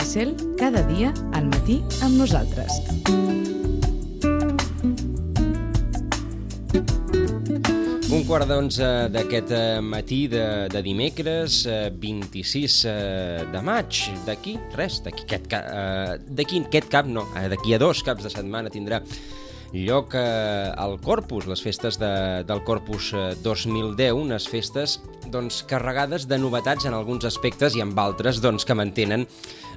Licel, cada dia al matí amb nosaltres. Un quart d'onze d'aquest matí de dimecres, 26 de maig. D'aquí a 2 caps de setmana tindrà lloc al Corpus, les festes del Corpus 2010, unes festes carregades de novetats en alguns aspectes i en altres que mantenen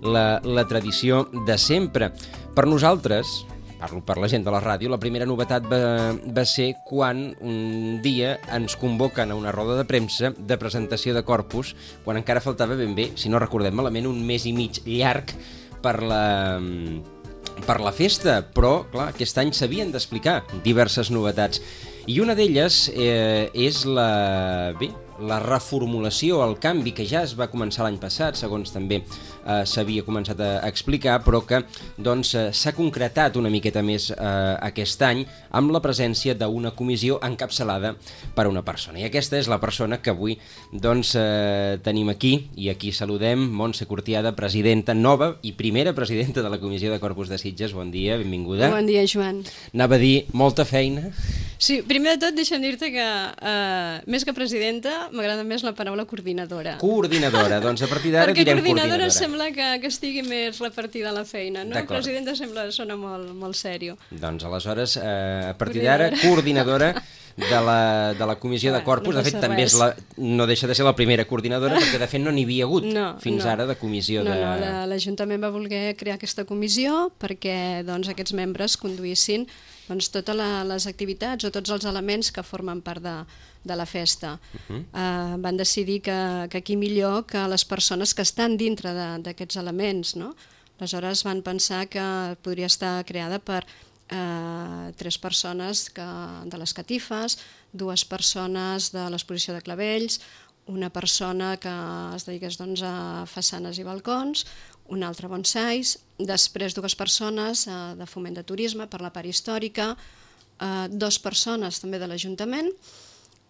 la tradició de sempre. Per nosaltres, parlo per la gent de la ràdio, la primera novetat va ser quan un dia ens convoquen a una roda de premsa de presentació de Corpus, quan encara faltava ben bé, si no recordem malament, un mes i mig llarg per la festa, però, clar, aquest any s'havien d'explicar diverses novetats. I una d'elles és la reformulació, el canvi que ja es va començar l'any passat, segons també s'havia començat a explicar, però que s'ha concretat una miqueta més aquest any amb la presència d'una comissió encapçalada per una persona. I aquesta és la persona que avui tenim aquí, i aquí saludem Montse Cortiada, presidenta nova i primera presidenta de la Comissió de Corpus de Sitges. Bon dia, benvinguda. Bon dia, Joan. Anava a dir, molta feina. Sí, primer de tot deixa'm dir-te que més que presidenta m'agrada més la paraula coordinadora. Coordinadora, doncs a partir d'ara direm coordinadora. Perquè coordinadora sembla que estigui més repartida la feina, no? Presidenta sona molt sèrio. Doncs aleshores, a partir d'ara, coordinadora de la Comissió de Corpus. De fet, també no deixa de ser la primera coordinadora, perquè de fet no n'hi havia hagut fins ara de comissió de... No, l'Ajuntament va voler crear aquesta comissió perquè aquests membres conduïssin totes les activitats o tots els elements que formen part de la festa. Van decidir que aquí millor que les persones que estan dintre d'aquests elements, no? Aleshores van pensar que podria estar creada per 3 persones de les catifes, 2 persones de l'exposició de clavells, una persona que es dediqués a façanes i balcons, una altra bonsais, després 2 persones de foment de turisme per la part històrica, 2 persones també de l'Ajuntament,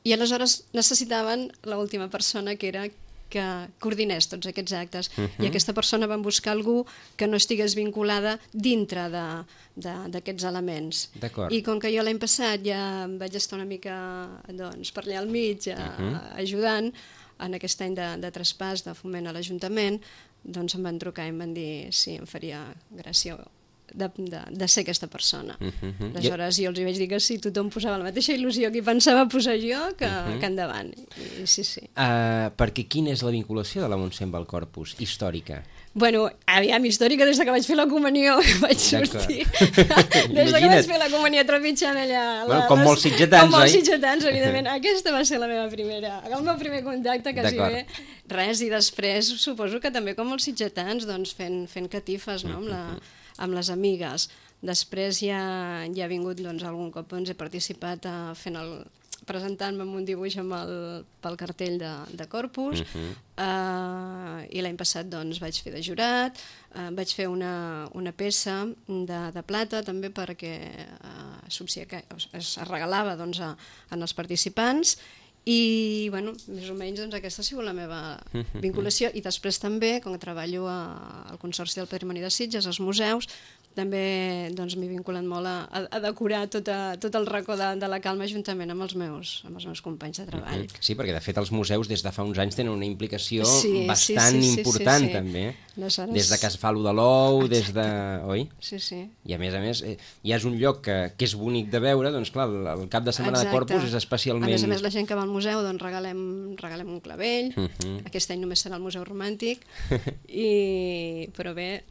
i aleshores necessitaven l'última persona que era que coordinés tots aquests actes. I aquesta persona van buscar algú que no estigués vinculada dintre d'aquests elements. I com que jo l'any passat ja vaig estar una mica per allà al mig ajudant en aquest any de traspàs de foment a l'Ajuntament, doncs em van trucar i em van dir si em faria gràcia de ser aquesta persona. Aleshores jo els vaig dir que sí, tothom posava la mateixa il·lusió que hi pensava posar jo, que endavant. Sí. Perquè quina és la vinculació de la Montse amb el Corpus històrica? Bueno, aviam, històrica des que vaig fer la comunió, que vaig sortir. Des que vaig fer la comunió trepitjant allà... Com molts sitgetans, oi? Com molts sitgetans, evidentment. Aquesta va ser el meu primer contacte, quasi bé. Res, i després suposo que també com molts sitgetans, fent catifes amb les amigues. Després ja ha vingut algun cop, he participat presentant-me amb un dibuix pel cartell de Corpus, i l'any passat vaig fer de jurat, vaig fer una peça de plata també perquè es regalava als participants, i més o menys aquesta ha sigut la meva vinculació. I després també, com que treballo al Consorci del Patrimoni de Sitges, als museus, també m'he vinculat molt a decorar tot el racó de la Calma juntament amb els meus companys de treball. Sí, perquè de fet els museus des de fa uns anys tenen una implicació bastant important també. Des de que es fa allò de l'ou, des de... oi? Sí. I a més, ja és un lloc que és bonic de veure, doncs clar, el cap de setmana de Corpus és especialment... A més, la gent que va al museu regalem un clavell, aquest any només serà el Museu Romàntic, però bé...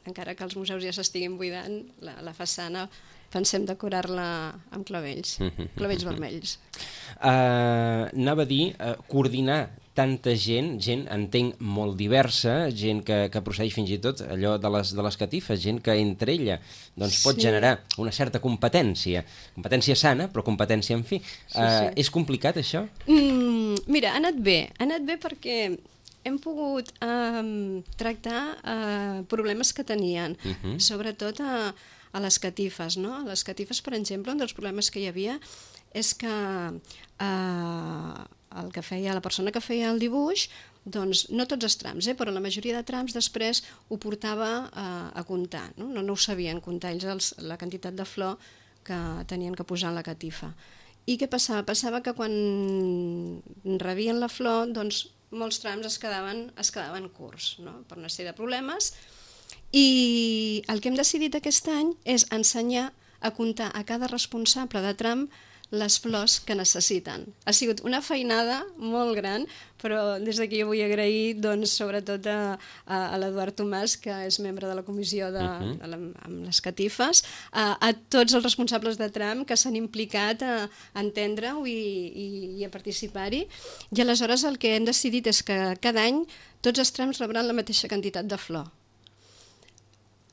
encara que els museus ja s'estiguin buidant, la façana pensem decorar-la amb clavells vermells. Anava a dir, coordinar tanta gent, entenc molt diversa, gent que procedeix fins i tot allò de les catifes, gent que entre ella pot generar una certa competència sana, però competència en fi. És complicat això? Mira, ha anat bé perquè hem pogut tractar problemes que tenien, sobretot a les catifes. A les catifes, per exemple, un dels problemes que hi havia és que la persona que feia el dibuix doncs, no tots els trams, però la majoria de trams després ho portava a comptar, no ho sabien comptar ells la quantitat de flor que tenien que posar en la catifa. I què passava? Passava que quan rebien la flor, doncs molts trams es quedaven curts, no? Per una sèrie de problemes, i el que hem decidit aquest any és ensenyar a comptar a cada responsable de tram les flors que necessiten. Ha sigut una feinada molt gran, però des d'aquí jo vull agrair sobretot a l'Eduard Tomàs, que és membre de la comissió amb les catifes, a tots els responsables de tram que s'han implicat a entendre-ho i a participar-hi. I aleshores el que hem decidit és que cada any tots els trams rebran la mateixa quantitat de flor.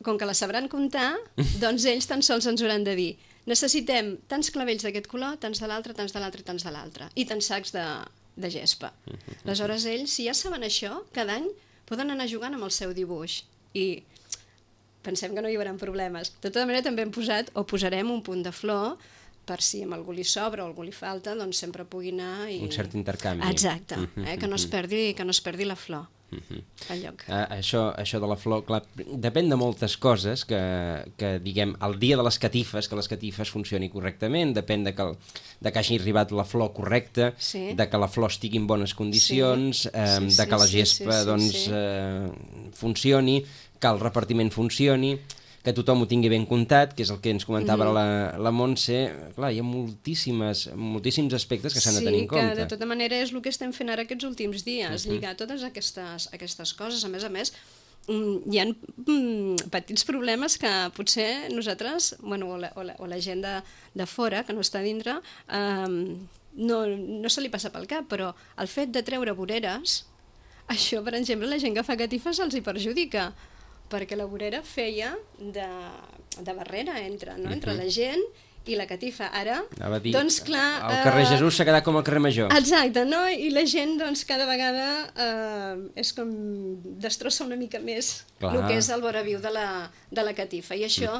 Com que la sabran comptar, doncs ells tan sols ens hauran de dir: necessitem tants clavells d'aquest color, tants de l'altre, tants de l'altre i tants de l'altre, i tants sacs de gespa. Aleshores ells, si ja saben això, cada any poden anar jugant amb el seu dibuix i pensem que no hi haurà problemes. De tota manera també hem posat o posarem un punt de flor per si a algú li sobra o algú li falta, doncs sempre pugui anar i... Un cert intercanvi. Exacte, que no es perdi la flor. Això de la flor, clar, depèn de moltes coses que diguem, el dia de les catifes, que les catifes funcioni correctament, depèn de que hagi arribat la flor correcta, de que la flor estigui en bones condicions, de que la gespa funcioni, que el repartiment funcioni, que tothom ho tingui ben comptat, que és el que ens comentava la Montse. Clar, hi ha moltíssims aspectes que s'han de tenir en compte. Sí, que de tota manera és el que estem fent ara aquests últims dies, lligar totes aquestes coses. A més, hi ha petits problemes que potser nosaltres, o la gent de fora, que no està dintre, no se li passa pel cap, però el fet de treure voreres, això, per exemple, la gent que fa catifes els hi perjudica, perquè la vorera feia de barrera entre la gent i la catifa. Ara, doncs clar... El carrer Jesús s'ha quedat com el carrer Major. Exacte, no? I la gent, doncs, cada vegada és com destrossa una mica més el que és el voraviu de la catifa. I això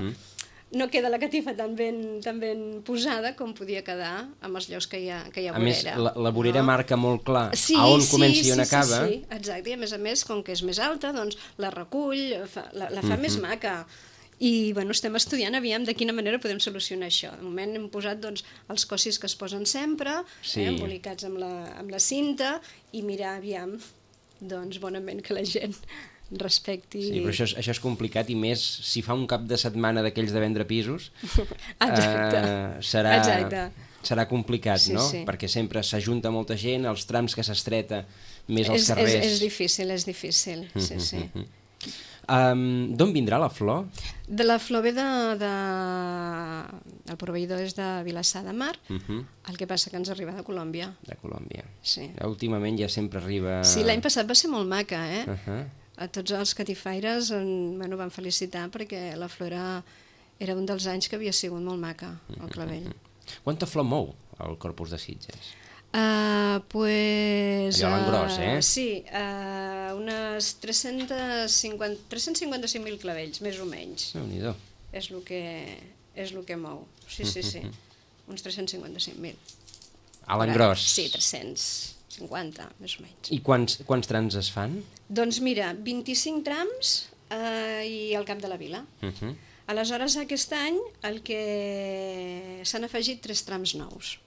no queda la catifa tan ben posada com podia quedar amb els llocs que hi ha vorera. A més, la vorera marca molt clar a on comença i on acaba. Sí, exacte. I a més, com que és més alta, doncs la recull, la fa més maca. I estem estudiant aviam de quina manera podem solucionar això. De moment hem posat els cossis que es posen sempre, embolicats amb la cinta, i mirar aviam bonament que la gent respecti... Sí, però això és complicat, i més si fa un cap de setmana d'aquells de vendre pisos, serà complicat, no? Perquè sempre s'ajunta molta gent, els trams que s'estreta més als carrers... És difícil, sí. D'on vindrà la flor? La flor ve el proveïdor és de Vilassar de Mar, el que passa que ens arriba de Colòmbia. De Colòmbia. Sí. Últimament ja sempre arriba... Sí, l'any passat va ser molt maca, A tots els catifaires van felicitar perquè la flor era un dels anys que havia sigut molt maca, el clavell. Quanta flor mou el Corpus de Sitges? Pues... Allò l'engròs, Sí, unes 355.000 clavells, més o menys. Déu-n'hi-do. És el que mou. Sí. Uns 355.000. A l'engròs? Sí, 350, més o menys. I quants trams es fan? Doncs mira, 25 trams i al cap de la vila. Aleshores, aquest any el que s'han afegit 3 trams nous.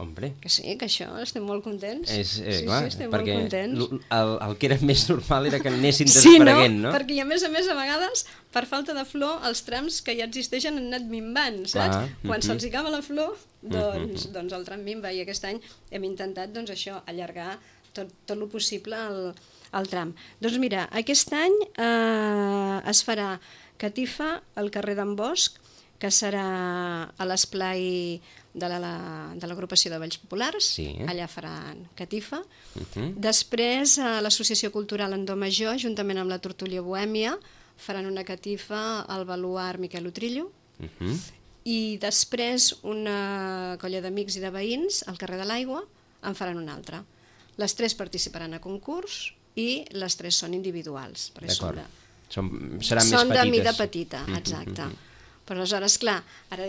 Hombre. Que sí, que això, estem molt contents. Clar, estem perquè molt contents. El que era més normal era que anessin desapareguent, no? Perquè a més, a vegades, per falta de flor, els trams que ja existeixen han anat minvant, saps? Quan se'ls acaba la flor, doncs el tram minva, i aquest any hem intentat, això, allargar tot el possible el tram. Doncs mira, aquest any es farà catifa al carrer d'en Bosch, que serà a l'esplai de l'agrupació de Balls Populars, allà faran catifa. Després, a l'Associació Cultural Andó Major, juntament amb la Tortulla Bohèmia, faran una catifa al baluart Miquel Utrillo, i després una colla d'amics i de veïns al carrer de l'Aigua en faran una altra. Les 3 participaran a concurs i les 3 són individuals. D'acord. Seran més petites. Són de mida petita, exacte. Però aleshores, clar, ara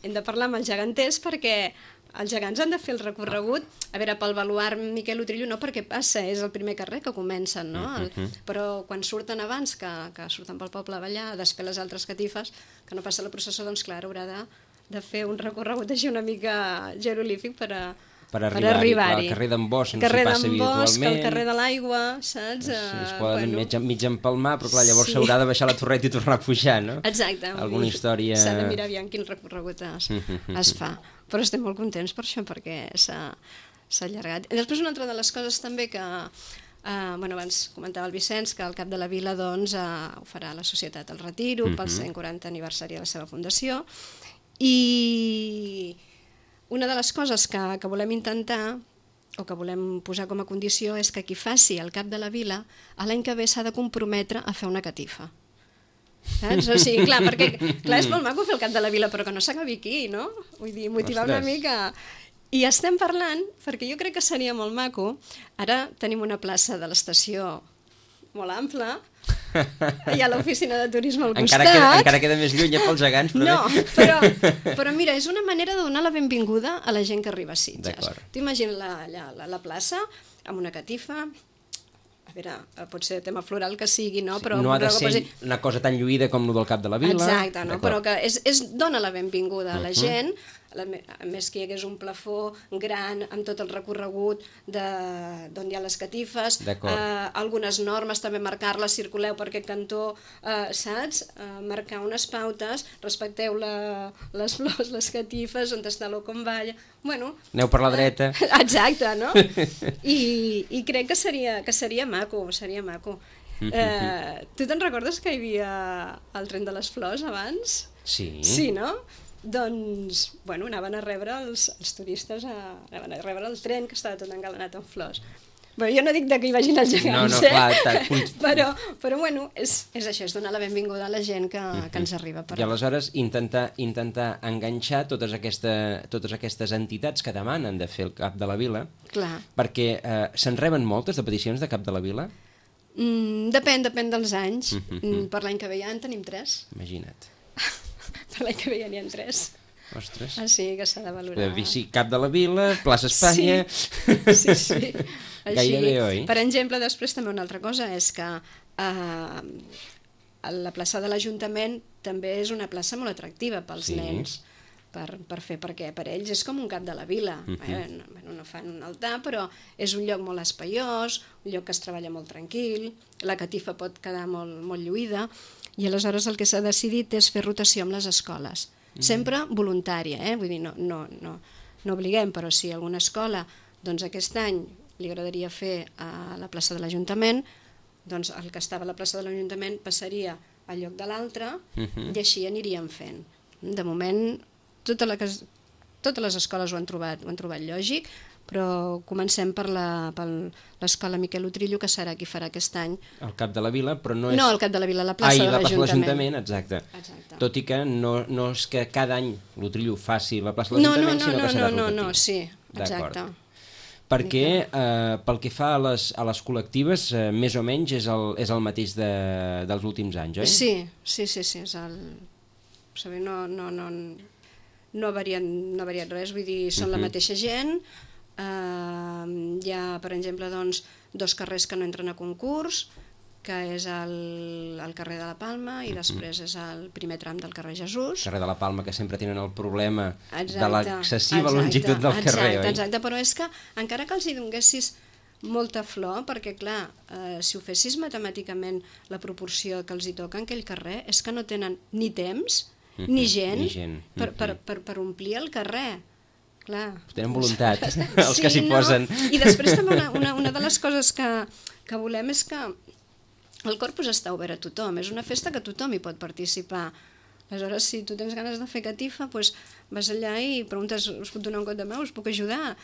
hem de parlar amb els geganters perquè els gegants han de fer el recorregut, a veure, pel baluard Miquel Utrillo no, perquè passa, és el primer carrer que comencen, no? Però quan surten abans, que surten pel poble a ballar, a desfer les altres catifes, que no passa la processó, doncs clar, haurà de fer un recorregut així una mica jeroglífic per arribar-hi. Al carrer d'en Bosch no s'hi passa habitualment. El carrer de l'Aigua, saps? Es poden mig empalmar, però clar, llavors s'haurà de baixar la torreta i tornar a pujar, no? Exacte. Alguna història... S'ha de mirar aviam quin recorregut es fa. Però estem molt contents per això, perquè s'ha allargat. I després una altra de les coses també que... abans comentava el Vicenç que al cap de la vila doncs, ho farà la Societat El Retiro pel 140 aniversari de la seva fundació, i una de les coses que volem intentar o que volem posar com a condició és que qui faci el cap de la vila l'any que ve s'ha de comprometre a fer una catifa. Saps? O sigui, clar, perquè clar, és molt maco fer el cap de la vila, però que no s'acabi aquí, no? Vull dir, motivar una mica... I estem parlant, perquè jo crec que seria molt maco, ara tenim una plaça de l'estació molt ampla, hi ha l'oficina de turisme al costat... Encara queda més lluny pels gegants, però no, però mira, és una manera de donar la benvinguda a la gent que arriba a Sitges. T'imagines la plaça amb una catifa, a veure, pot ser tema floral que sigui, no? Però no ha de ser una cosa tan lluïda com el del cap de la vila. Exacte, no? Però que dona la benvinguda a la gent, a més que hi hagués un plafó gran amb tot el recorregut d'on hi ha les catifes, algunes normes també marcar-les, circuleu per aquest cantó, saps? Marcar unes pautes, respecteu les flors, les catifes, on està l'O com balla... Bueno, aneu per la dreta. Exacte, no? I crec que seria maco, seria maco. Tu te'n recordes que hi havia el tren de les flors abans? Sí. Sí, no? Doncs, bueno, anaven a rebre els turistes, anaven a rebre el tren que estava tot engalanat amb flors. Bueno, jo no dic que hi vagin els gegants, però bueno, és això, és donar la benvinguda a la gent que ens arriba. I aleshores intentar enganxar totes aquestes entitats que demanen de fer el cap de la vila, perquè se'n reben moltes de peticions de cap de la vila? Depèn dels anys. Per l'any que ve ja en tenim 3. Imagina't. Per l'any que ve ja n'hi ha 3. Ostres. Sí, que s'ha de valorar. Sí, cap de la vila, plaça Espanya... Sí. Gairebé, oi? Per exemple, després també una altra cosa és que la plaça de l'Ajuntament també és una plaça molt atractiva pels nens per fer, perquè per ells és com un cap de la vila. No fan un altar, però és un lloc molt espaiós, un lloc que es treballa molt tranquil, la catifa pot quedar molt lluïda, i aleshores el que s'ha decidit és fer rotació amb les escoles. Sempre voluntària, vull dir, no obliguem, però si alguna escola doncs aquest any li agradaria fer a la plaça de l'Ajuntament, doncs el que estava a la plaça de l'Ajuntament passaria al lloc de l'altre i així aniríem fent. De moment, totes les escoles ho han trobat lògic, però comencem per l'escola Miquel Utrillo, que serà qui farà aquest any. El cap de la vila, però no és... No, el cap de la vila, la plaça de l'Ajuntament. Exacte. Tot i que no és que cada any l'Utrillo faci la plaça de l'Ajuntament, sinó que serà rotatiu. No, sí, exacte. Perquè pel que fa a les col·lectives, més o menys és el mateix dels últims anys, oi? Sí, és el... No ha variat res, vull dir, són la mateixa gent. Hi ha, per exemple, doncs, 2 carrers que no entren a concurs, que és el carrer de la Palma i després és el primer tram del carrer Jesús. El carrer de la Palma, que sempre tenen el problema de l'excessiva longitud del carrer, oi? Exacte, però és que encara que els hi donessis molta flor, perquè clar, si ho fessis matemàticament la proporció que els hi toca en aquell carrer, és que no tenen ni temps ni gent per omplir el carrer. Clar. Tenen voluntat, els que s'hi posen. I després també una de les coses que volem és que el Corpus està obert a tothom, és una festa que tothom hi pot participar. Aleshores, si tu tens ganes de fer catifa, doncs vas allà i preguntes, us puc donar un cop de mà, us puc ajudar?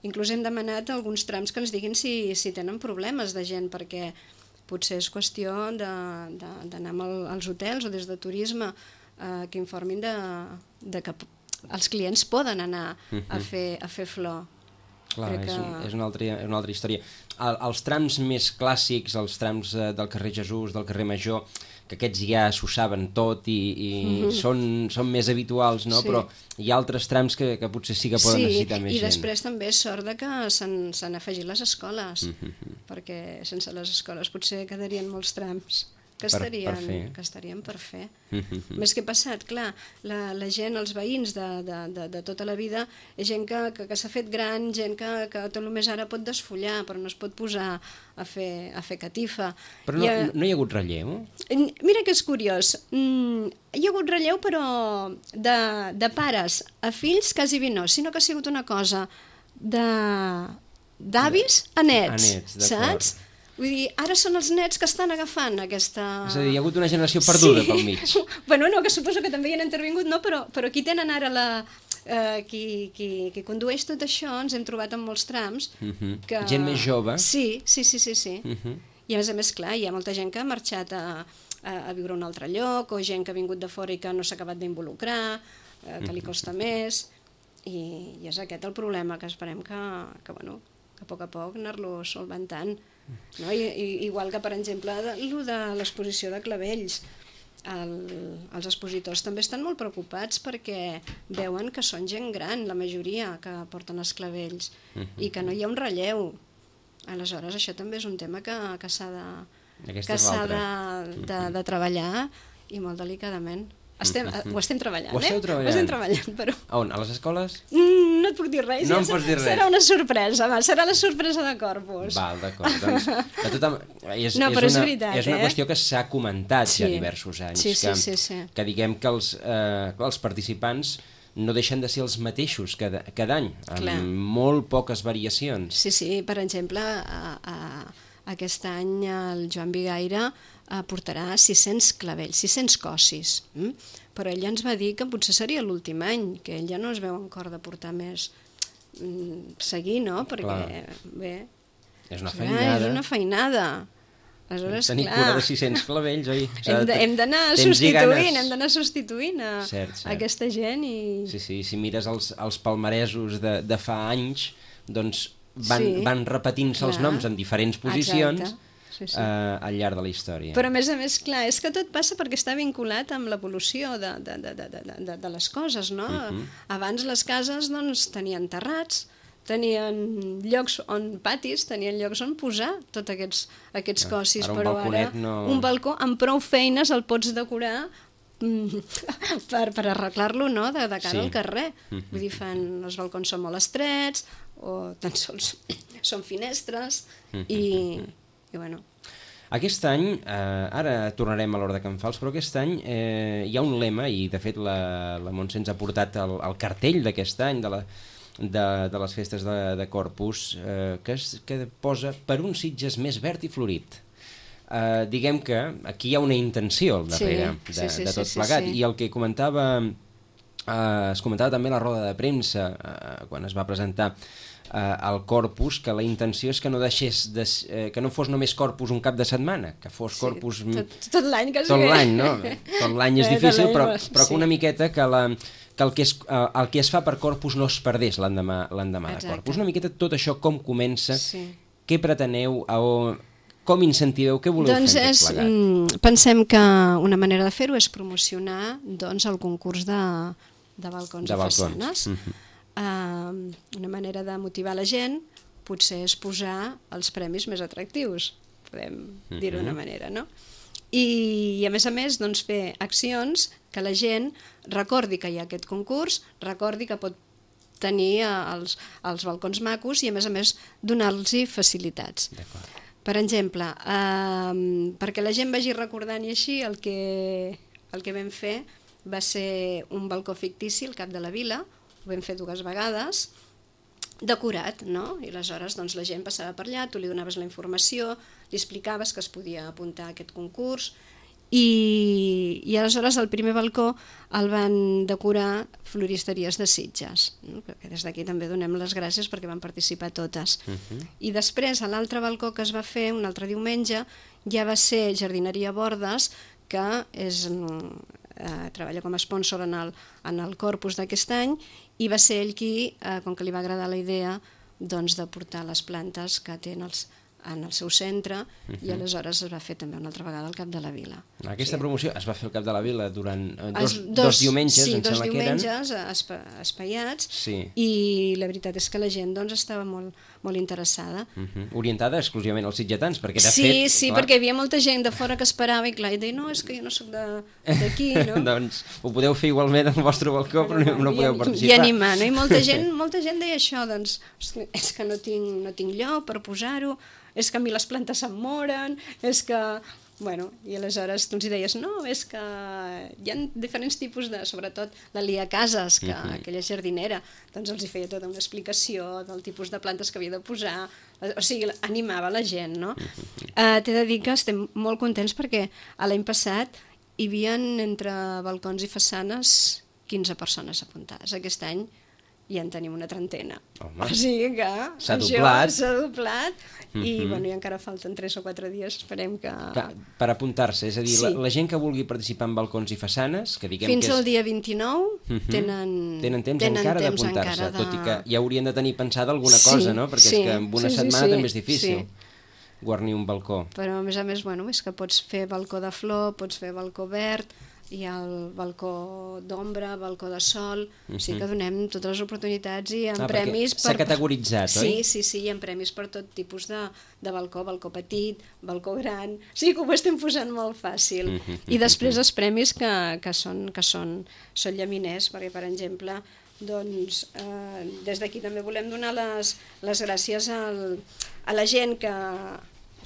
Inclús hem demanat alguns trams que ens diguin si tenen problemes de gent, perquè potser és qüestió d'anar als hotels o des de turisme que informin de que els clients poden anar a fer flor. Clar, és una altra història. Els trams més clàssics, els trams del carrer Jesús, del carrer Major, que aquests ja s'ho saben tot i són més habituals, no? Però hi ha altres trams que potser sí que poden necessitar més gent. I després també és sort que s'han afegit les escoles, perquè sense les escoles potser quedarien molts trams que estarien per fer. Més que passat, clar, la gent, els veïns de tota la vida, és gent que s'ha fet gran, gent que tot el més ara pot desfollar, però no es pot posar a fer catifa. Però no hi ha hagut relleu? Mira que és curiós. Hi ha hagut relleu, però de pares a fills quasi bé no, sinó que ha sigut una cosa d'avis a nets, saps? Vull dir, ara són els nets que estan agafant aquesta... És a dir, hi ha hagut una generació perduda pel mig. Bueno, no, que suposo que també hi han intervingut, no? Però qui tenen ara qui condueix tot això, ens hem trobat en molts trams. Gent més jove. Sí. I a més, clar, hi ha molta gent que ha marxat a viure a un altre lloc, o gent que ha vingut de fora i que no s'ha acabat d'involucrar, que li costa més, i és aquest el problema, que esperem que a poc a poc anar-lo solventant. No? Igual que, per exemple, el de l'exposició de clavells. Els expositors també estan molt preocupats perquè veuen que són gent gran, la majoria, que porten els clavells, i que no hi ha un relleu. Aleshores, això també és un tema que s'ha de treballar, i molt delicadament. Ho estem treballant, Ho esteu treballant? Ho estem treballant, però... A on? A les escoles? No et puc dir res. No em pots dir res. Serà una sorpresa, serà la sorpresa de Corpus. Val, d'acord. Doncs, és una qüestió que s'ha comentat ja diversos anys. Que diguem que els participants no deixen de ser els mateixos cada any, amb molt poques variacions. Sí, per exemple, aquest any el Joan Bigaire portarà 600 clavells, 600 cossis, però ell ja ens va dir que potser seria l'últim any, que ell ja no es veu en cor de portar més, seguir, no? Perquè, bé... És una feinada. És una feinada. Aleshores, tenir cura de 600 clavells, oi? Hem d'anar substituint aquesta gent i... Sí, si mires els palmaresos de fa anys, doncs van repetint-se els noms en diferents posicions al llarg de la història. Però a més, clar, és que tot passa perquè està vinculat amb l'evolució de les coses, no? Abans les cases tenien terrats, tenien llocs patis, tenien llocs on posar tots aquests cossis, però ara un balcó amb prou feines el pots decorar per arreglar-lo, no?, de cara al carrer. Vull dir, els balcons són molt estrets o tan sols són finestres i bueno. Aquest any, ara tornarem a l'Hora de Can Fals, però aquest any hi ha un lema, i de fet la Montse ens ha portat el cartell d'aquest any de les festes de Corpus, que posa "Per un Sitges més verd i florit". Diguem que aquí hi ha una intenció al darrere de tot plegat, i el que es comentava també a la roda de premsa quan es va presentar al Corpus, que la intenció és que no que no fos només Corpus un cap de setmana, que fos Corpus tot l'any, quasi tot l'any, no? Tot l'any és difícil, però que una miqueta que el que es fa per Corpus no es perdés l'endemà de Corpus. Una miqueta tot això, com comença, què preteneu, com incentiveu, què voleu fer tot plegat? Pensem que una manera de fer-ho és promocionar el concurs de balcons i façanes. Una manera de motivar la gent potser és posar els premis més atractius, podem dir-ho d'una manera, no? I a més, fer accions que la gent recordi que hi ha aquest concurs, recordi que pot tenir els balcons macos i, a més, donar-los facilitats. Per exemple, perquè la gent vagi recordant, i així el que vam fer va ser un balcó fictici al cap de la vila. Ho vam fer 2 vegades, decorat, no? I aleshores la gent passava per allà, tu li donaves la informació, li explicaves que es podia apuntar a aquest concurs, i aleshores el primer balcó el van decorar Floristeries de Sitges, que des d'aquí també donem les gràcies perquè van participar totes. I després, a l'altre balcó que es va fer, un altre diumenge, ja va ser Jardineria Bordes, que treballa com a sponsor en el Corpus d'aquest any, i va ser ell qui, com que li va agradar la idea, de portar les plantes que tenen en el seu centre, i aleshores es va fer també una altra vegada al Cap de la Vila. Aquesta promoció es va fer al Cap de la Vila durant dos diumenges, em sembla que eren. Sí, dos diumenges espaiats, i la veritat és que la gent doncs, estava molt interessada. Orientada exclusivament als sitgetans, perquè de fet... Sí, perquè hi havia molta gent de fora que esperava i clar, i deia, no, és que jo no soc d'aquí, no? Doncs ho podeu fer igualment al vostre balcó, però no podeu participar. I animar, no? I molta gent deia això, doncs, és que no tinc lloc per posar-ho, és que a mi les plantes se'm moren, és que... Bueno, i aleshores tu ens hi deies, no, és que hi ha diferents tipus de... Sobretot la Lia Casas, que aquella jardinera, doncs els hi feia tota una explicació del tipus de plantes que havia de posar, o sigui, animava la gent, no? T'he de dir que estem molt contents perquè l'any passat hi havia entre balcons i façanes 15 persones apuntades. Aquest any ja en tenim una trentena. Home, o sigui que s'ha doblat i, bueno, i encara falten 3 o 4 dies, esperem que... Per apuntar-se, és a dir, la gent que vulgui participar en balcons i façanes, que diguem fins que és... al dia 29 tenen temps encara d'apuntar-se, tot i que ja haurien de tenir pensada alguna cosa, no? Perquè és que en una setmana també és difícil guarnir un balcó. Però a més, bueno, és que pots fer balcó de flor, pots fer balcó verd, hi ha el balcó d'ombra, balcó de sol, o sigui que donem totes les oportunitats i amb premis... S'ha categoritzat, oi? Sí, hi ha premis per tot tipus de balcó, balcó petit, balcó gran, o sigui que ho estem posant molt fàcil. I després els premis que són llaminers, perquè per exemple, doncs des d'aquí també volem donar les gràcies a la gent que...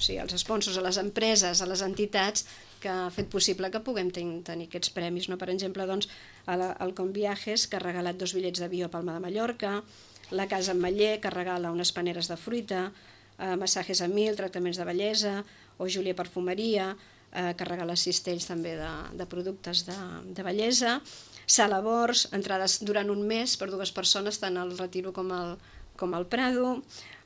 O sigui, als sponsors, a les empreses, a les entitats que ha fet possible que puguem tenir aquests premis. No? Per exemple, doncs, el Conviajes, que ha regalat 2 bitllets d'avió a Palma de Mallorca, la Casa Ametller, que regala unes paneres de fruita, Massajes a 1000, tractaments de bellesa, o Júlia Perfumeria, que regala cistells també de productes de bellesa, Sala Bors, entrades durant un mes per 2 persones, tant al Retiro com al Prado,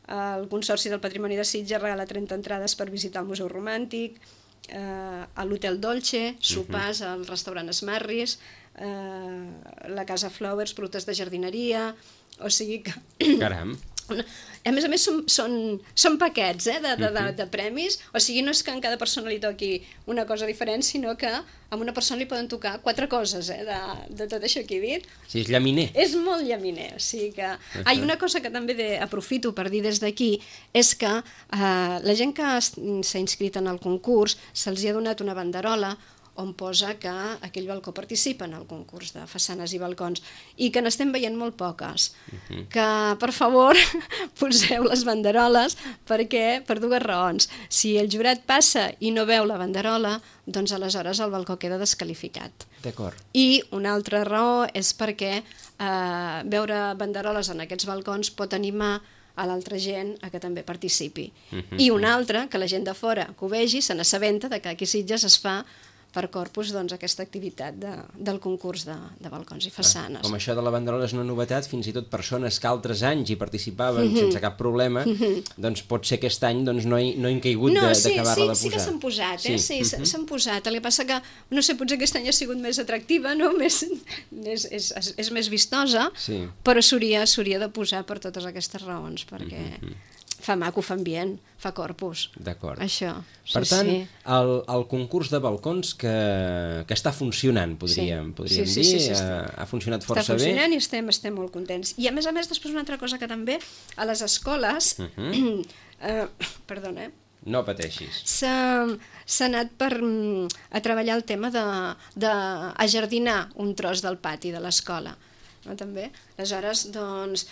el Consorci del Patrimoni de Sitges regala 30 entrades per visitar el Museu Romàntic, a l'Hotel Dolce, sopars al restaurant Smarris, la Casa Flowers, productes de jardineria, o sigui que... Caram! A més, són paquets de premis, o sigui, no és que en cada persona li toqui una cosa diferent, sinó que a una persona li poden tocar 4 coses de tot això que he dit. Sí, és llaminer. És molt llaminer, o sigui que... Una cosa que també aprofito per dir des d'aquí és que la gent que s'ha inscrit en el concurs se'ls ha donat una banderola on posa que aquell balcó participa en el concurs de façanes i balcons i que n'estem veient molt poques. Que, per favor, poseu les banderoles perquè, per 2 raons. Si el jurat passa i no veu la banderola, doncs aleshores el balcó queda desqualificat. D'acord. I una altra raó és perquè veure banderoles en aquests balcons pot animar a l'altra gent a que també participi. I una altra, que la gent de fora que ho vegi se n'assabenta que aquí a Sitges es fa per Corpus aquesta activitat del concurs de balcons i façanes. Com això de la banderola és una novetat, fins i tot persones que altres anys hi participaven sense cap problema, doncs pot ser aquest any no hem caigut d'acabar-la de posar. Sí que s'han posat, sí, s'han posat. El que passa que, no sé, potser aquest any ha sigut més atractiva, és més vistosa, però s'hauria de posar per totes aquestes raons, perquè... fa maco, fa ambient, fa corpus. D'acord. Això. Per tant, el concurs de balcons que està funcionant, podríem dir, ha funcionat força bé. Està funcionant i estem molt contents. I a més, després una altra cosa que també a les escoles... Perdona, No pateixis. S'ha anat a treballar el tema d'ajardinar un tros del pati de l'escola. També. Aleshores, doncs...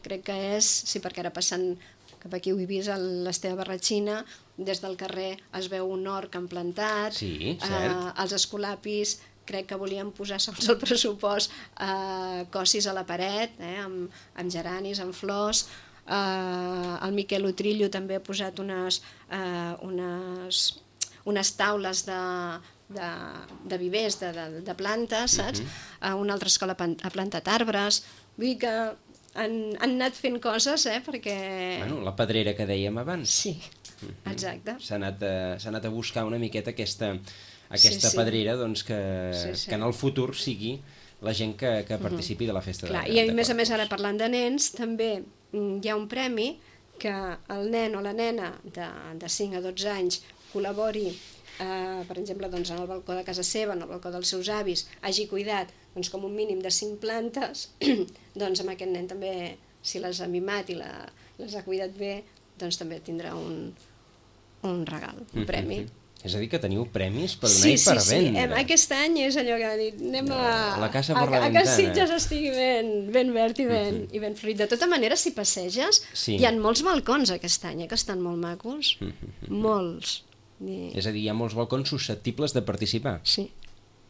crec que és, sí, perquè ara passant cap aquí ho he vist, l'Esteve Barratxina, des del carrer es veu un hort plantat, els escolapis, crec que volíem posar segons el pressupost cossis a la paret, amb geranis, amb flors, el Miquel Utrillo també ha posat unes taules de vivers, de plantes, saps? Una altra escola ha plantat arbres, vull dir que han anat fent coses, perquè... Bueno, la pedrera que dèiem abans. Sí, exacte. S'ha anat a buscar una miqueta aquesta pedrera, doncs que en el futur sigui la gent que participi de la festa. I a més ara parlant de nens, també hi ha un premi que el nen o la nena de 5 a 12 anys col·labori, per exemple, doncs, en el balcó de casa seva, en el balcó dels seus avis, hagi cuidat doncs, com un mínim de 5 plantes, doncs amb aquest nen també, si les ha mimat i les ha cuidat bé, doncs també tindrà un regal, un premi. És a dir, que teniu premis per donar i per vendre. Sí. Aquest any és allò que ha dit, anem la casa per la ventana. A que Sitges estigui ben verd i ben florit. De tota manera, si passeges, hi ha molts balcons aquest any, que estan molt macos. Molts. És a dir, hi ha molts balcons susceptibles de participar. Sí.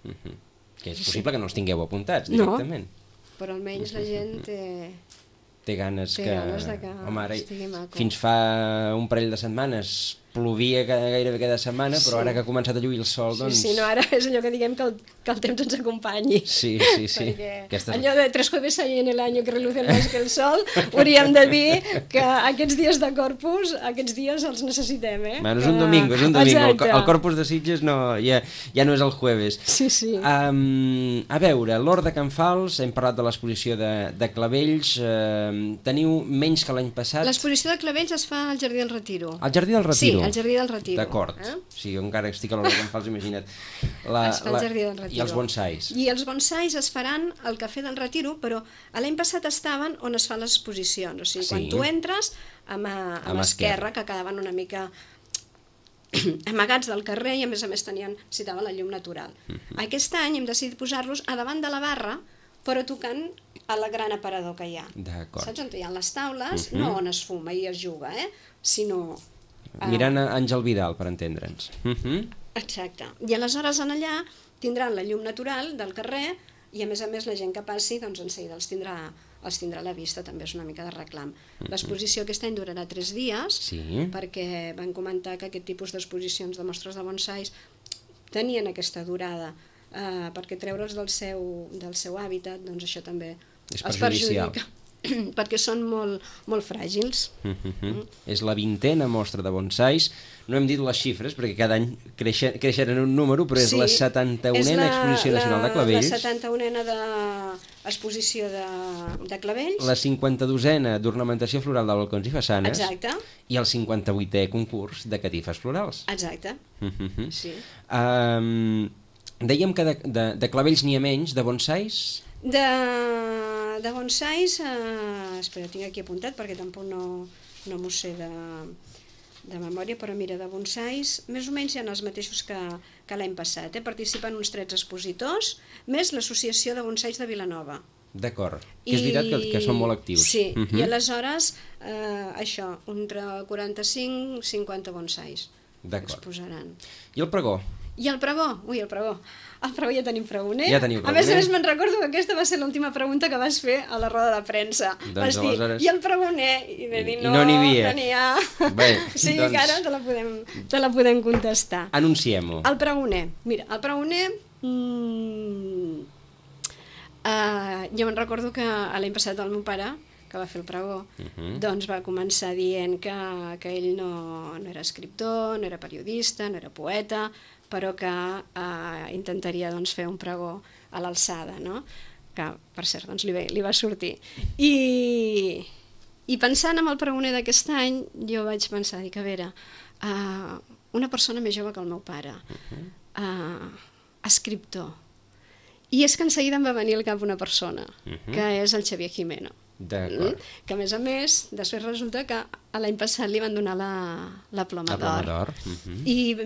Que és possible que no els tingueu apuntats directament. No, però almenys la gent té ganes que... Home, ara, estigui maco. Fins fa un parell de setmanes plovia gairebé cada setmana, però ara que ha començat a lluir el sol, doncs... Sí, no, ara és allò que diguem que el temps ens acompanyi. Sí. Perquè allò de 3 jueves hay en el año que relucen más que el sol, hauríem de dir que aquests dies de Corpus, aquests dies els necessitem, Bueno, és un domingo. El Corpus de Sitges ja no és el jueves. Sí. A veure, l'Hort de Can Fals, hem parlat de l'exposició de clavells, teniu menys que l'any passat... L'exposició de clavells es fa al Jardí del Retiro. Al Jardí del Retiro? Sí, al Jardí del Retiro. D'acord. Sí, jo encara estic a l'Hort de Can Fals, imagina't. Es fa al Jardí del Retiro. I els bonsais? I els bonsais es faran al Cafè del Retiro, però l'any passat estaven on es fan les exposicions. O sigui, quan tu entres, a l'esquerra, que quedaven una mica amagats del carrer i a més necessitaven la llum natural. Aquest any hem decidit posar-los a davant de la barra, però tocant a la gran aparador que hi ha. D'acord. Saps on hi ha les taules? No on es fuma i es juga, sinó... Mirant a Àngel Vidal, per entendre'ns. Exacte. I aleshores en allà tindran la llum natural del carrer i a més la gent que passi doncs en seguida els tindrà a la vista, també és una mica de reclam. L'exposició aquest any durarà 3 dies perquè van comentar que aquest tipus d'exposicions de mostres de bonsais tenien aquesta durada perquè treure'ls del seu hàbitat, doncs això també els perjudica perquè són molt fràgils. És la 20a mostra de bonsais. No hem dit les xifres perquè cada any creixen en un número, però és la 71a Exposició Nacional de Clavells. La 71a exposició de clavells. La 52a d'ornamentació floral de balcons i façanes. Exacte. I el 58è concurs de catifes florals. Exacte. Sí. Dèiem que de clavells n'hi ha menys, de bonsais... De bonsais, espera, tinc aquí apuntat perquè tampoc no m'ho sé de memòria, però mira, de bonsais, més o menys hi ha els mateixos que l'any passat. Participen uns 13 expositors, més l'Associació de Bonsais de Vilanova. D'acord, que és veritat que són molt actius. Sí, i aleshores, això, entre 45 i 50 bonsais exposaran. I el pregó? I el pregó? Ui, el pregó ja tenim pregoner. Ja teniu pregoner. A més, me'n recordo que aquesta va ser l'última pregunta que vas fer a la roda de premsa. Vas dir, i el pregoner? I vam dir, no n'hi ha. Sí, que ara te la podem contestar. Anunciem-ho. El pregoner. Mira, el pregoner... jo me'n recordo que l'any passat el meu pare, que va fer el pregó, doncs va començar dient que ell no era escriptor, no era periodista, no era poeta, però que intentaria fer un pregó a l'alçada, no? Que, per cert, li va sortir. I pensant en el pregoner d'aquest any, jo vaig pensar, dic, a veure, una persona més jove que el meu pare, escriptor, i és que en seguida em va venir al cap una persona, que és el Xavier Gimeno. Que a més, després resulta que l'any passat li van donar la Ploma d'Or. I,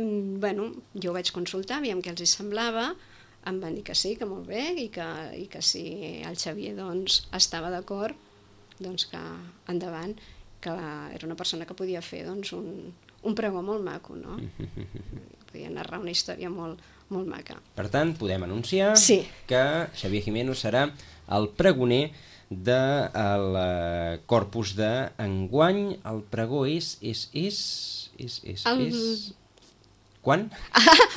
bueno, jo ho vaig consultar, aviam què els hi semblava, em van dir que sí, que molt bé, i que si el Xavier estava d'acord, doncs que endavant, que era una persona que podia fer un pregó molt maco, no? Podia narrar una història molt maca. Per tant, podem anunciar que Xavier Gimeno serà el pregoner del Corpus d'enguany. El pregó és... Quan?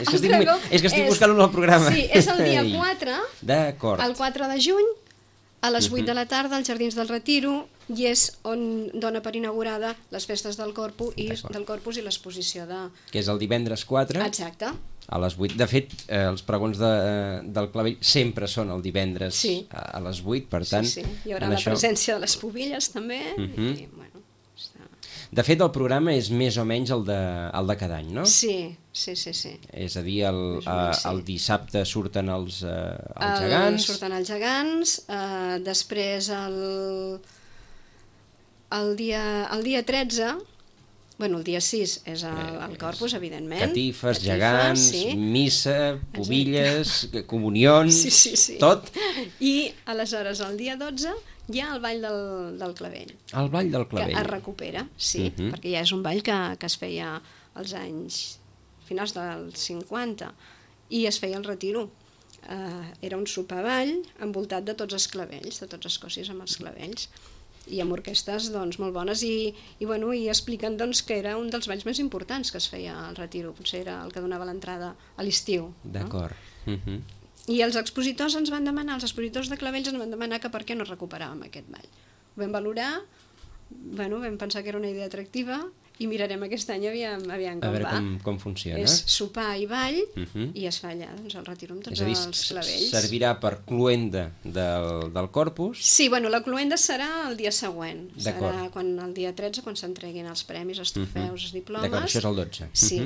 És que estic buscant un al programa. Sí, és el dia 4, d'acord, el 4 de juny, a les 8 de la tarda, als Jardins del Retiro, i és on dona per inaugurada les festes del Corpus i l'exposició de... Que és el divendres 4. Exacte. A les 8. De fet, els pregons del clavell sempre són el divendres a les 8, per tant... Sí, hi haurà la presència de les pubilles també. De fet, el programa és més o menys el de cada any, no? Sí. És a dir, el dissabte surten els gegants. Surten els gegants, després el dia 13... Bueno, el dia 6 és el Corpus, evidentment. Catifes, gegants, sí. Missa, pobilles, comunions, tot. I aleshores el dia 12 hi ha el ball del clavell. El ball del clavell. Que es recupera, sí, perquè ja és un ball que es feia als anys finals dels 50 i es feia el retiro. Era un sopar-ball envoltat de tots els clavells, de tots els cossis amb els clavells, i amb orquestes doncs, molt bones i expliquen doncs, que era un dels balls més importants que es feia al retiro, potser era el que donava l'entrada a l'estiu. D'acord. No? I els expositors els expositors de clavells ens van demanar que per què no recuperàvem aquest ball. Ho vam valorar, vam pensar que era una idea atractiva i mirarem aquest any aviam com va. A veure com funciona. És sopar i ball i es fa allà, doncs el retiro amb tots els clavells. Servirà per cloenda del Corpus? Sí, la cloenda serà el dia següent. Serà el dia 13, quan s'entreguin els premis, els trofeus, els diplomes. D'acord, això és el 12. Sí,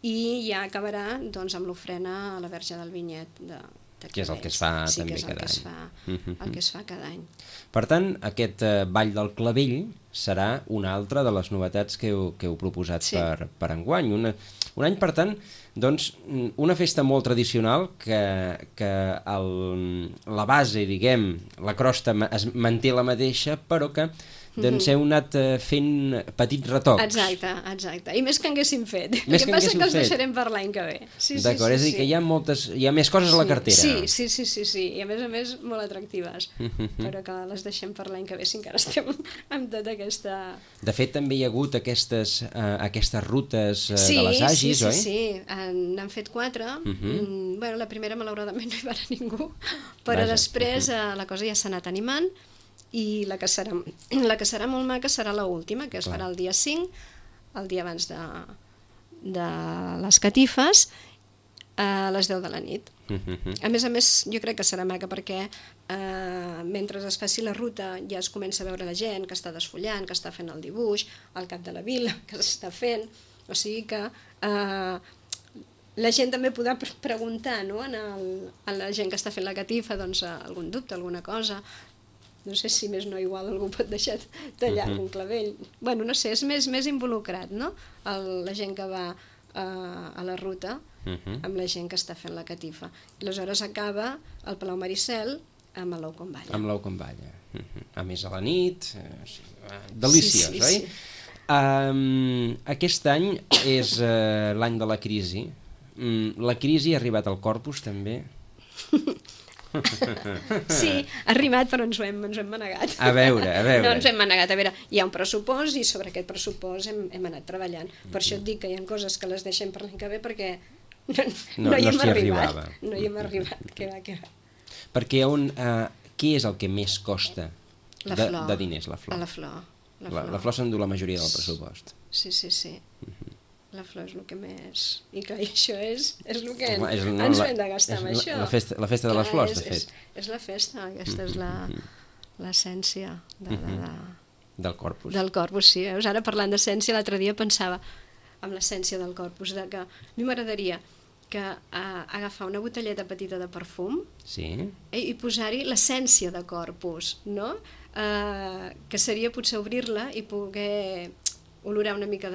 i ja acabarà doncs, amb l'ofrena a la Verge del Vinyet de que és el que es fa també cada any. El que es fa cada any. Per tant, aquest ball del clavell serà una altra de les novetats que heu proposat per enguany. Un any, per tant, doncs, una festa molt tradicional que la base, diguem, la crosta es manté la mateixa, però que doncs heu anat fent petits retocs. Exacte. I més que haguéssim fet. El que passa que els deixarem per l'any que ve. D'acord, és a dir que hi ha més coses a la cartera. Sí, i a més molt atractives, però que les deixem per l'any que ve si encara estem amb tota aquesta... De fet, també hi ha hagut aquestes rutes de les Agis, oi? Sí, n'han fet 4. La primera malauradament no hi va anar ningú, però després la cosa ja s'ha anat animant i la que serà molt maca serà l'última, que es farà el dia 5, el dia abans de les catifes, a les 10 de la nit. A més, jo crec que serà maca perquè mentre es faci la ruta ja es comença a veure la gent que està desfullant, que està fent el dibuix, el cap de la vila que s'està fent, o sigui que la gent també podrà preguntar a la gent que està fent la catifa algun dubte, alguna cosa. No sé si més no igual algú pot deixar tallar un clavell. No sé, és més involucrat, no? La gent que va a la ruta amb la gent que està fent la catifa. I aleshores acaba el Palau Maricel amb l'ou com balla. Amb l'ou com balla. A més a la nit, deliciós, oi? Aquest any és l'any de la crisi. La crisi ha arribat al Corpus, també? Sí, ha arribat, però ens ho hem manegat. A veure. No, ens hem manegat. A veure, hi ha un pressupost i sobre aquest pressupost hem anat treballant. Per això et dic que hi ha coses que les deixem per l'any que ve perquè no hi hem arribat. No hi hem arribat. Què va. Perquè què és el que més costa de diners? La flor. La flor s'endú la majoria del pressupost. Sí. La flor és el que més... I clar, això és el que ens hem de gastar amb això. La festa de les flors, de fet. És la festa, aquesta és l'essència del Corpus. Del Corpus, sí. Ara parlant d'essència, l'altre dia pensava en l'essència del Corpus, que a mi m'agradaria que agafar una botelleta petita de perfum i posar-hi l'essència de Corpus, no? Que seria potser obrir-la i poder olorar una mica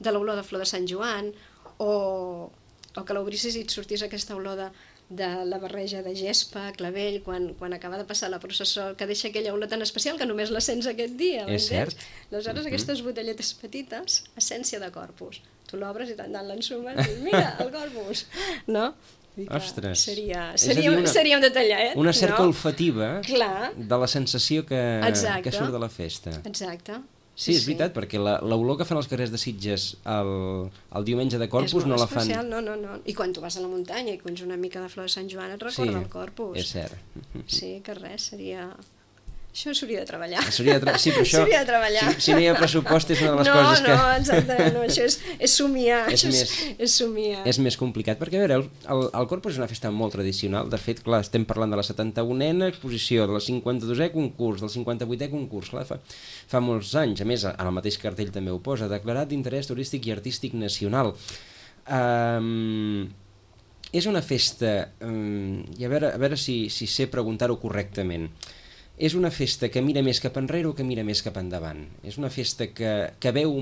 de l'olor de flor de Sant Joan, o que l'obrissis i et sortís aquesta olor de la barreja de gespa, clavell, quan acaba de passar la processó, que deixa aquella olor tan especial que només la sents aquest dia. És cert. Aleshores, aquestes botelletes petites, essència de Corpus. Tu l'obres i tant l'ensumes i dius, mira, el Corpus, no? Ostres. Seria un detallet. Una cerca olfativa de la sensació que surt de la festa. Exacte. Sí, és veritat, perquè l'olor que fan els carrers de Sitges el diumenge de Corpus no la fan... És molt especial, no. I quan tu vas a la muntanya i conys una mica de flor de Sant Joan et recorda el Corpus. És cert. Sí, que res, Això s'hauria de treballar. Sí, però això... S'hauria de treballar. Si no hi ha pressupost és una de les coses que... No, exacte, no, això és somiar. És somiar. És més complicat, perquè a veure, el Corpus és una festa molt tradicional. De fet, clar, estem parlant de la 71a exposició, de la 52è concurs, del 58è concurs, clar, fa molts anys. A més, en el mateix cartell també ho posa, declarat d'interès turístic i artístic nacional. És una festa, i a veure si sé preguntar-ho correctament, és una festa que mira més cap enrere o que mira més cap endavant? És una festa que veu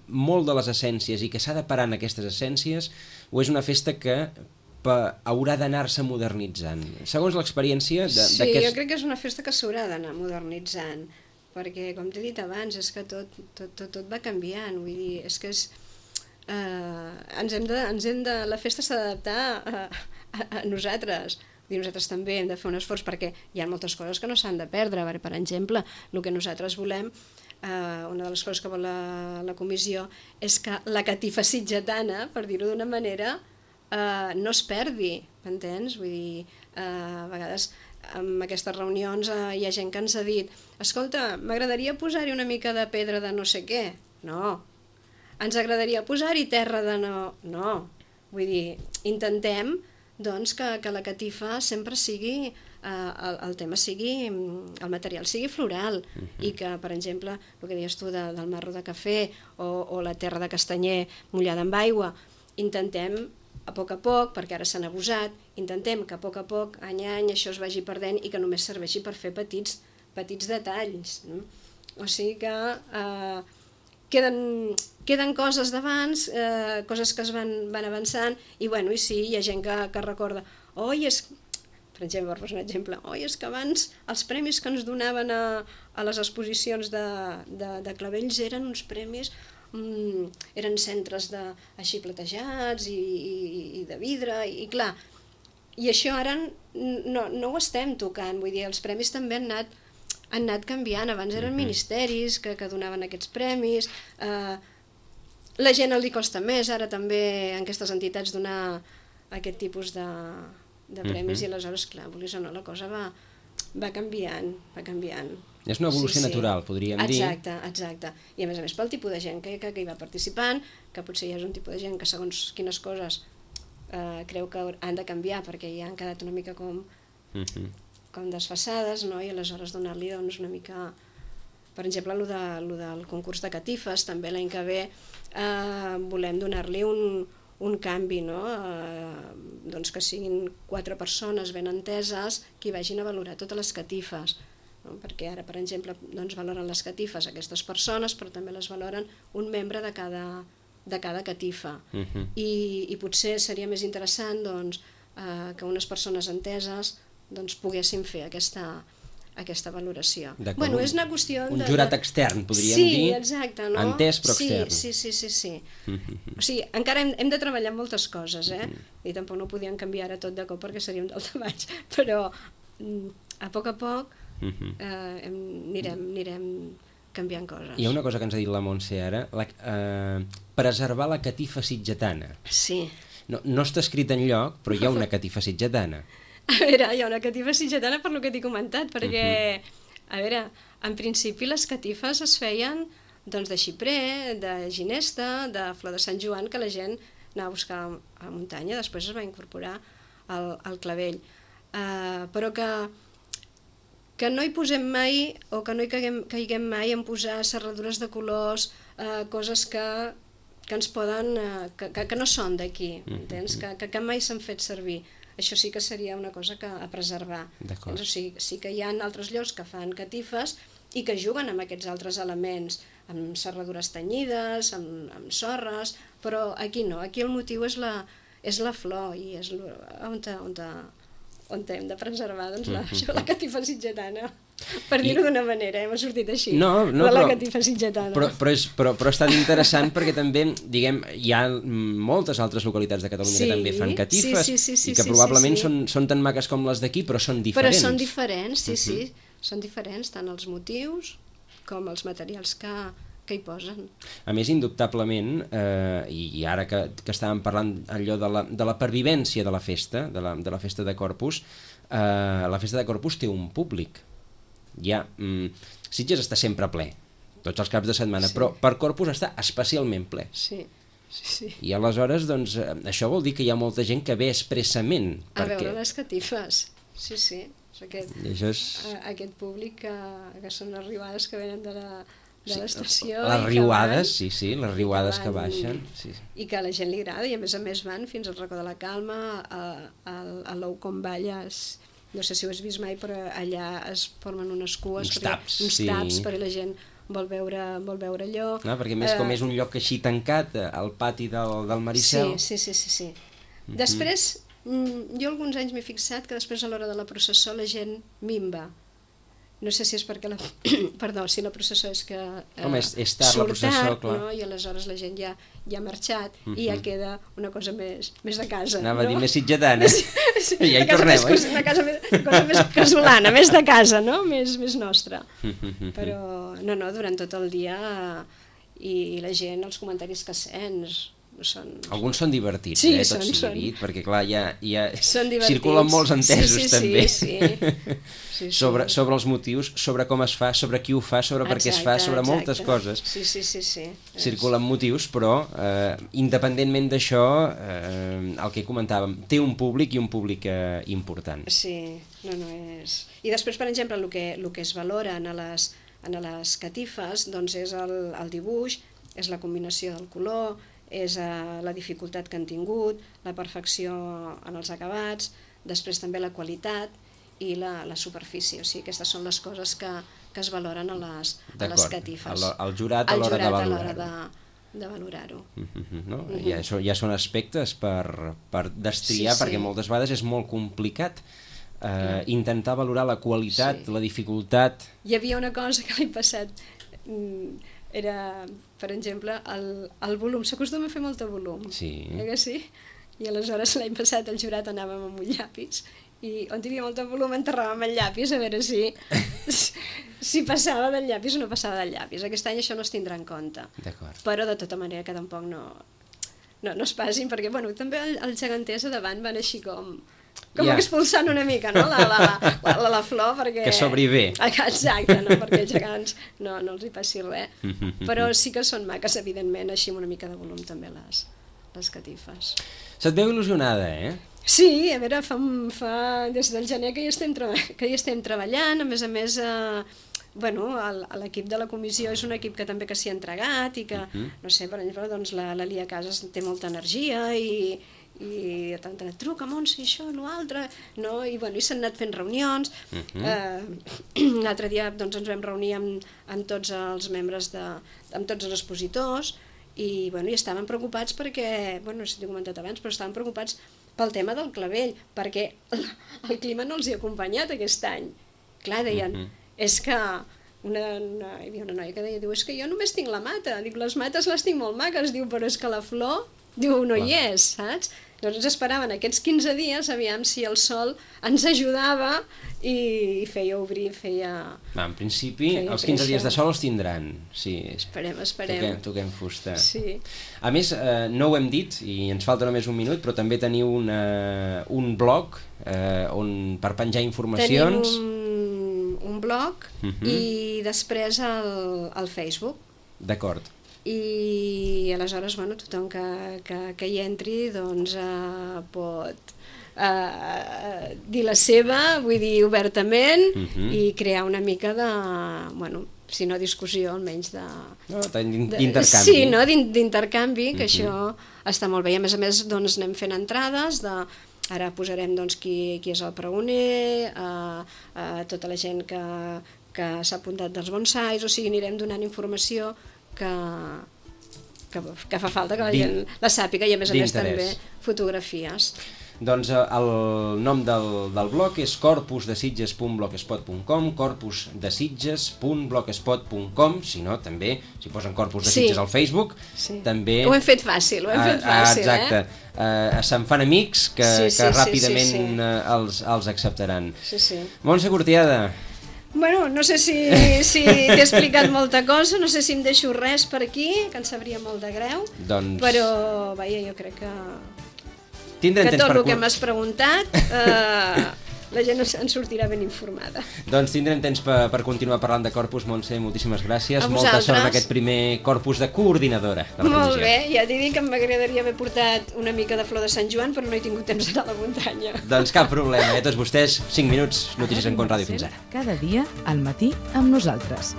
molt de les essències i que s'ha de parar en aquestes essències, o és una festa que haurà d'anar-se modernitzant? Segons l'experiència d'aquests... Sí, jo crec que és una festa que s'haurà d'anar modernitzant, perquè, com t'he dit abans, és que tot va canviant, vull dir, és que és... la festa s'ha d'adaptar a nosaltres. Nosaltres també hem de fer un esforç perquè hi ha moltes coses que no s'han de perdre. Per exemple, el que nosaltres volem, una de les coses que vol la comissió, és que la catifa sitgetana, per dir-ho d'una manera, no es perdi, m'entens? Vull dir, a vegades en aquestes reunions hi ha gent que ens ha dit escolta, m'agradaria posar-hi una mica de pedra de no sé què. No. Ens agradaria posar-hi terra de no... No. Vull dir, intentem doncs que la catifa sempre sigui, el tema sigui, el material sigui floral, i que, per exemple, el que deies tu del marro de cafè o la terra de castanyer mullada amb aigua, intentem a poc, perquè ara s'han abusat, intentem que a poc, any a any, això es vagi perdent i que només serveixi per fer petits detalls. No? O sigui que queden coses d'abans, coses que es van avançant, i bueno, i sí, hi ha gent que recorda, per exemple, per posar un exemple, és que abans els premis que ens donaven a les exposicions de clavells eren uns premis, eren centres així platejats i de vidre, i clar, i això ara no ho estem tocant, vull dir, els premis també han anat canviant. Abans eren ministeris que donaven aquests premis, la gent li costa més ara també en aquestes entitats donar aquest tipus de premis, i aleshores, clar, vulguis o no, la cosa va canviant. És una evolució natural, podríem dir. Exacte. I a més pel tipus de gent que hi va participant, que potser hi ha un tipus de gent que segons quines coses creu que han de canviar perquè ja han quedat una mica com desfasades, no? I aleshores donar-li doncs, una mica... Per exemple, el del concurs de catifes, també l'any que ve volem donar-li un canvi, no? Doncs que siguin 4 persones ben enteses que vagin a valorar totes les catifes, no? Perquè ara, per exemple, doncs, valoren les catifes aquestes persones, però també les valoren un membre de cada catifa. I potser seria més interessant doncs, que unes persones enteses doncs, poguessin fer aquesta valoració. Bueno, és una qüestió un jurat extern, podríem dir. Sí, exacte. No? Entès però extern. Sí. O sigui, encara hem de treballar en moltes coses, i tampoc no podíem canviar ara tot de cop perquè seria un daltabaix, però a poc anirem canviant coses. Hi ha una cosa que ens ha dit la Montse ara, preservar la catifa sitgetana. Sí. No està escrit enlloc, però hi ha una catifa sitgetana. A veure, hi ha una catifa sitgetana per lo que t'he comentat, perquè, a veure, en principi les catifes es feien doncs, de xiprer, de ginesta, de flor de Sant Joan, que la gent anava a buscar a la muntanya, després es va incorporar al clavell. Però que no hi posem mai, o que no hi caiguem mai en posar serradures de colors, coses que ens poden... que no són d'aquí, entens? Que mai s'han fet servir. Això sí que seria una cosa a preservar. O sigui, sí que hi ha altres llocs que fan catifes i que juguen amb aquests altres elements, amb serradures tenyides, amb sorres, però aquí no, aquí el motiu és la flor i és on hem de preservar doncs, la catifa sitgetana. Per dir-ho d'una manera, m'ha sortit així. La catifa sitgetana. Però ha estat interessant perquè també, diguem, hi ha moltes altres localitats de Catalunya que també fan catifes i que probablement són tan maques com les d'aquí, però són diferents. Però són diferents, sí. Són diferents, tant els motius com els materials que hi posen. A més, indubtablement, i ara que estàvem parlant allò de la pervivència de la festa, de la festa de Corpus, la festa de Corpus té un públic. Sitges està sempre ple, tots els caps de setmana, però per Corpus està especialment ple. Sí. I aleshores, doncs, això vol dir que hi ha molta gent que ve expressament. A veure les catifes, sí. Aquest públic que són les riuades que venen de l'estació. Les riuades, sí, les riuades que baixen. I que a la gent li agrada, i a més van fins al Racó de la Calma, a l'Ou com Balles, no sé si ho has vist mai, però allà es formen unes cues, uns taps, perquè la gent vol veure allò. Perquè més com és un lloc així tancat, al pati del Maricel. Sí. Després, jo alguns anys m'he fixat que després a l'hora de la processó la gent minva. No sé si és perquè si la processó és que surt tard, i aleshores la gent ja ha marxat i ja queda una cosa més de casa. Anava a dir més sitgetana. Ja hi tornem, una cosa més casolana, més de casa, no? Més nostra. Però no, durant tot el dia i la gent, els comentaris que sents... Alguns són divertits, tot sigui dit, perquè clar, ja circulen molts entesos també. Sí. Sobre els motius, sobre com es fa, sobre qui ho fa, sobre per què es fa, sobre moltes coses. Sí. Circulen motius, però independentment d'això, el que comentàvem, té un públic i un públic important. Sí, no és... I després, per exemple, el que es valora en les catifes doncs és el dibuix, és la combinació del color, és la dificultat que han tingut, la perfecció en els acabats, després també la qualitat i la superfície. O sigui, aquestes són les coses que es valoren a les catifes. El jurat a l'hora de valorar-ho. Ja són aspectes per destriar, perquè moltes vegades és molt complicat intentar valorar la qualitat, la dificultat... Hi havia una cosa que l'any passat... Era, per exemple, el volum. S'acostuma a fer molt de volum. Sí. Que sí? I aleshores l'any passat el jurat anàvem amb un llapis i on hi havia molt de volum enterràvem el llapis a veure si passava del llapis o no passava del llapis. Aquest any això no es tindrà en compte. Però de tota manera que tampoc no es passin, perquè també els geganters a davant van així com expulsant una mica, no? la flor, perquè... Que s'obri bé. Exacte, no? Perquè els gegants no els hi passi res. Però sí que són maques, evidentment, així amb una mica de volum també les catifes. Se't veu il·lusionada, Sí, a veure, fa des del gener que hi estem treballant, a més, l'equip de la comissió és un equip que també s'hi ha entregat i que, no sé, per exemple, doncs la Lia Casas té molta energia i tant truca, Montse, això, l'altre, no? I s'han anat fent reunions. L'altre dia ens vam reunir amb tots els membres, amb tots els expositors i estaven preocupats perquè, no sé si t'ho he comentat abans, però estaven preocupats pel tema del clavell, perquè el clima no els hi ha acompanyat aquest any. Clar, deien, és que hi havia una noia que deia, és que jo només tinc la mata, dic, les mates les tinc molt maques, diu, però és que la flor, diu, no hi és, saps? Llavors ens esperaven aquests 15 dies, aviam si el sol ens ajudava i feia obrir, En principi, els 15 dies de sol els tindran, sí. Esperem. Toquem fusta. Sí. A més, no ho hem dit, i ens falta només un minut, però també teniu un blog per penjar informacions. Tenim un blog i després el Facebook. D'acord. I aleshores tothom que hi entri pot dir la seva, vull dir obertament, i crear una mica de, si no discussió, almenys d'intercanvi. Sí, d'intercanvi, que això està molt bé. I a més anem fent entrades ara posarem qui és el pregoner, tota la gent que s'ha apuntat dels bonsais, o sigui, anirem donant informació que fa falta que la gent la sàpiga, i a més també fotografies. Doncs el nom del blog és corpusdesitges.blogspot.com, corpusdesitges.blogspot.com, si no, també, si posen Corpus de Sitges al Facebook, també... Ho hem fet fàcil, exacte. Se'n fan amics que ràpidament els acceptaran. Montse Cortiada. No sé si t'he explicat molta cosa, no sé si em deixo res per aquí, que em sabria molt de greu, però jo crec que tot el que m'has preguntat la gent en sortirà ben informada. Doncs tindrem temps per continuar parlant de Corpus. Montse, moltíssimes gràcies. Molta sort en aquest primer Corpus de coordinadora de la comissió. Molt bé, ja t'he dit que m'agradaria haver portat una mica de flor de Sant Joan, però no he tingut temps d'anar a la muntanya. Doncs cap problema, tots vostès, 5 minuts, notícies en Ràdio fins ara. Cada dia al matí amb nosaltres.